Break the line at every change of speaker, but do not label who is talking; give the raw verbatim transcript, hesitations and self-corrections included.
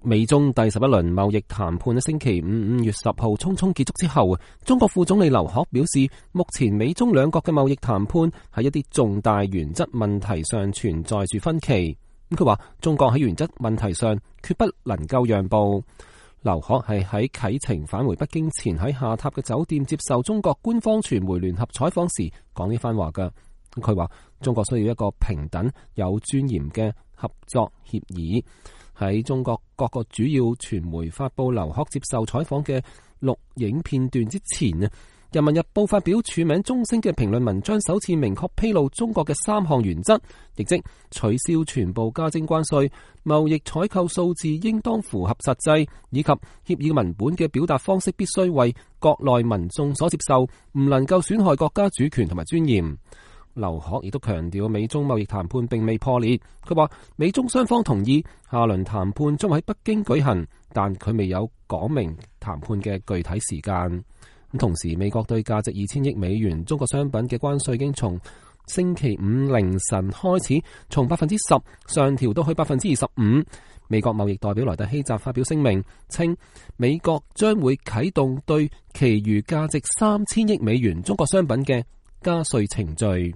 美中第十一輪貿易談判喺星期五五月十號匆匆結束之後，中國副總理劉鶴表示，目前美中兩國嘅貿易談判喺一啲重大原則問題上存在住分歧。咁佢話，中國喺原則問題上決不能夠讓步。劉鶴係喺啟程返回北京前喺下榻嘅酒店接受中國官方傳媒聯合採訪時講呢番話㗎。佢話，中國需要一個平等有尊嚴嘅合作協議。喺中國各個主要傳媒發佈劉鶴接受採訪嘅錄影片段之前啊，人民日報發表署名中聲嘅評論文章，首次明確披露中國嘅三項原則，亦即取消全部加徵關稅、貿易採購數字應當符合實際，以及協議文本嘅表達方式必須為國內民眾所接受，唔能夠損害國家主權同埋尊嚴。劉鶴亦都強調，美中貿易談判並未破裂。佢話，美中雙方同意下輪談判將喺北京舉行，但佢未有講明談判嘅具體時間。同時，美國對價值二千億美元中國商品嘅關稅已經從星期五凌晨開始從百分之十上調到去百分之二十五。美國貿易代表萊特希澤發表聲明稱，美國將會啟動對其餘價值三千億美元中國商品嘅加稅程序。